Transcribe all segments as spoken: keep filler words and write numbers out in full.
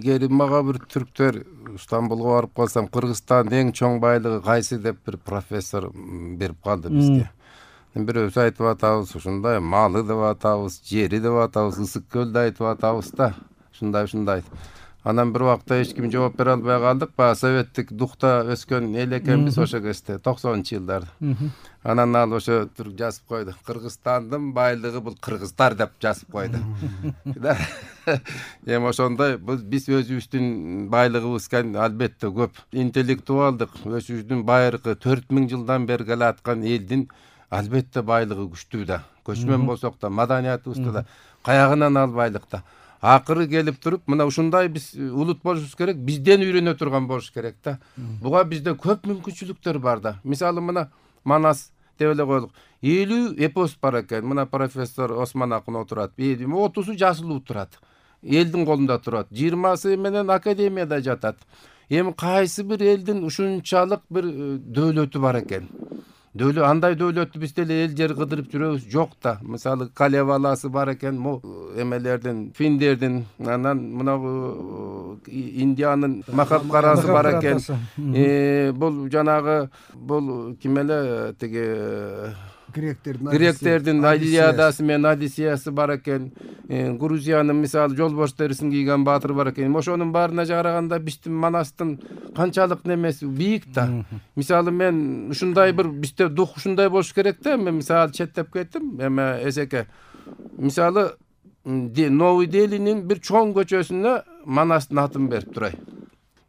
илгери мага бир түрктөр Стамбулга барып калсам, Кыргызстандын эң чоң байлыгы кайсы деп бир профессор берип калды бизге. Бирөөбүз айтып атабыз, ушундай малы деп атабыз, жери деп атабыз, Ысык көлдү айтып атабыз да. Ушундай ушундай. Анан бир убакта эч ким жооп бере албай калдык. Баягы советтик духта өскөн эл экенбиз ошо кезде, токсонунчу жылдарда. Анан ал ошо туруп жазып койду. Кыргызстандын байлыгы бул кыргыздар деп жазып койду. Эми ошондой биз өзүбүздүн байлыгыбыз албетте көп. Интеллектуалдык өзүбүздүн байыркы төрт миң жылдан бери келаткан элдин албетте байлыгы күчтүү да. Көчмөн болсок да, маданиятыбызда да, каягынан ал байлыкта. Акыры келип туруп, мына ушундай биз улут болушубуз керек, бизден үйрөнө турган болуш керек да. Буга бизде көп мүмкүнчүлүктөр бар да. Мисалы мына Манас деп эле коелук. элүү эпос бар экен. Мына профессор Осмон Акын отурат. отузу жазылуу турат. Элдин колунда турат. жыйырмасы менен академияда жатат. Эми кайсы бир элдин ушунчалык бир дөөлөтү бар экен? Дөөлө андай дөөлөттү биз деле эл жер кыдырып жүрөбүз жок да. Мисалы Калеваласы бар экен, мо эмелердин, финдердин, анан мына Индиянын Махабхарасы бар экен. Э бул жанагы бул ким эле тиги Гректердин Гректердин Илиадасы менен Одиссеясы бар экен. Грузиянын мисалы жолбош терисин кийген баатыр бар экен. Ошонун баарына караганда биздин Манастын канчалык немеси бийик да. Мисалы мен ушундай бир бизде дух ушундай болуш керек да. Мен мисалы четтеп кеттим, эме эсеке. Мисалы Новый Делинин бир чоң көчөсүнө Манастын атын берип турай.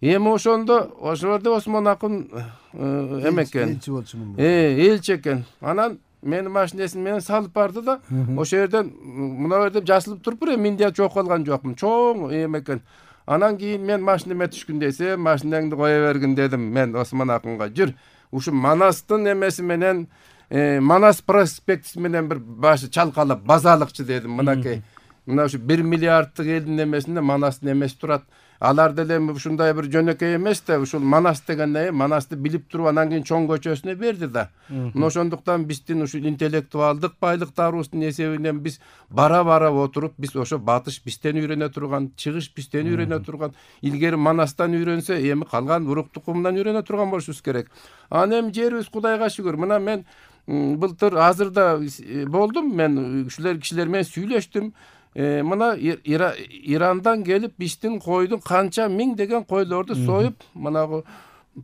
Эми ошондо ошо жерде Осмон Акын эме экен. Элчи болчу мун. Э, элчи экен. Анан менин машинесин менен салып барды да, ошо жерден мына жерде жасылып туруп бир Индия чогуп калган жокмун. Чоң эме экен. Анан кийин мен машинеме түшкүн десе, машинеңди кое бергин дедим мен Осмон Акынга. Жүр, ушу Манастын эмеси менен Манас проспектиси менен бир башы чалкалап базалыкчы дедим. Мынакей. Мына ушу бир миллиарддык элдин эмесинде Манастын эмеси турат. Алар деле ушундай бир жөнөкөй эмес да, ушул Манас дегенде Манасты билип туруп анан кийин чоң көчөсүнө берди да. Мына ошондуктан биздин ушул интеллектуалдык байлыктарыбыздын эсебинен биз бара-бара отуруп, биз ошо батыш бизден үйрөнө турган, чыгыш бизден үйрөнө турган, илгери Манастан үйрөнсө, эми калган урук тукумунан үйрөнө турган болушубуз керек. Анан эми жерибиз Кудайга шүгүр. Мына мен былтыр азырда болдум, мен ушулар кишилер менен сүйлөштүм. Мына Ирандан келип биздин койдун канча миң деген койлорду союп, мына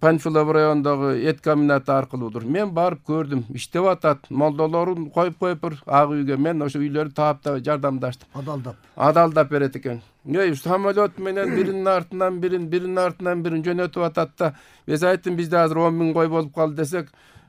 Панфилов районундагы эт комбинаты аркылуудур. Мен барып көрдүм, иштеп атат. Молдолорун коюп коюп бир ак үйгө мен ошо үйлөрдү таап жардамдаштым. Адалдап. Адалдап берет экен. Эй, самолет менен биринин артынан бирин, биринин артынан бирин жөнөтүп атат да. Биз айттым, бизде азыр он миң кой болуп калды десек,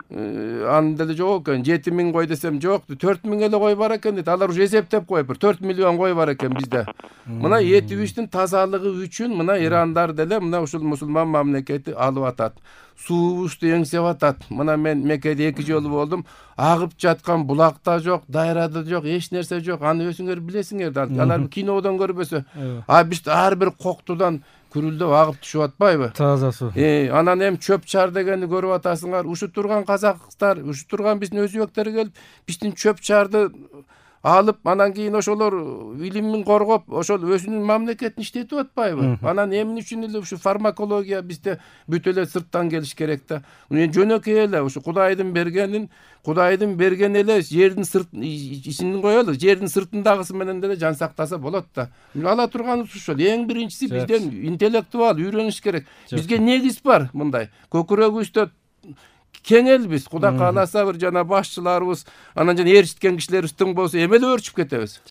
анын деле жок экен. жети миң кой десем жок, төрт миң эле кой бар экен дейт. Алар уже эсептеп коюп, төрт миллион кой бар экен бизде. Мына этибиздин тазалыгы үчүн мына Ирандар деле мына ушул мусулман мамлекети алып атат. Суубузду эңсеп атат. Мына мен Меккеде эки жолу болдум. Агып жаткан булак да жок, дайра да жок, эч нерсе жок. Аны өзүңөр билесиңер да. Алар кинодон көрбөсө. А биз ар бир коктудан күрүлдөп агып түшүп атпайбы? Таза суу. Э, анан эми чөп чар дегенди көрүп атасыңар. Ушу турган казактар, ушу турган биздин өзбектер келип, биздин чөп чарды алып, анан кийин ошолор илимин коргоп, ошол өзүнүн мамлекетин иштетип атпайбы? Анан эмне үчүн эле ушу фармакология бизде бүт эле сырттан келиш керек да. Жөнөкөй эле ушу Кудайдын бергенин, Кудайдын берген эле жердин сырт ичинин коелу, жердин сыртындагысы менен деле жан сактаса болот да. Ала турганыбыз ушул. Эң биринчиси бизден интеллектуал үйрөнүш керек. Бизге негиз бар мындай. Көкүрөгүбүздө кең элбиз. Кудай кааласа бир жана башчыларыбыз, анан жана ээрчиткен кишилерибиз тың болсо, эми эле өөрчүп кетебиз.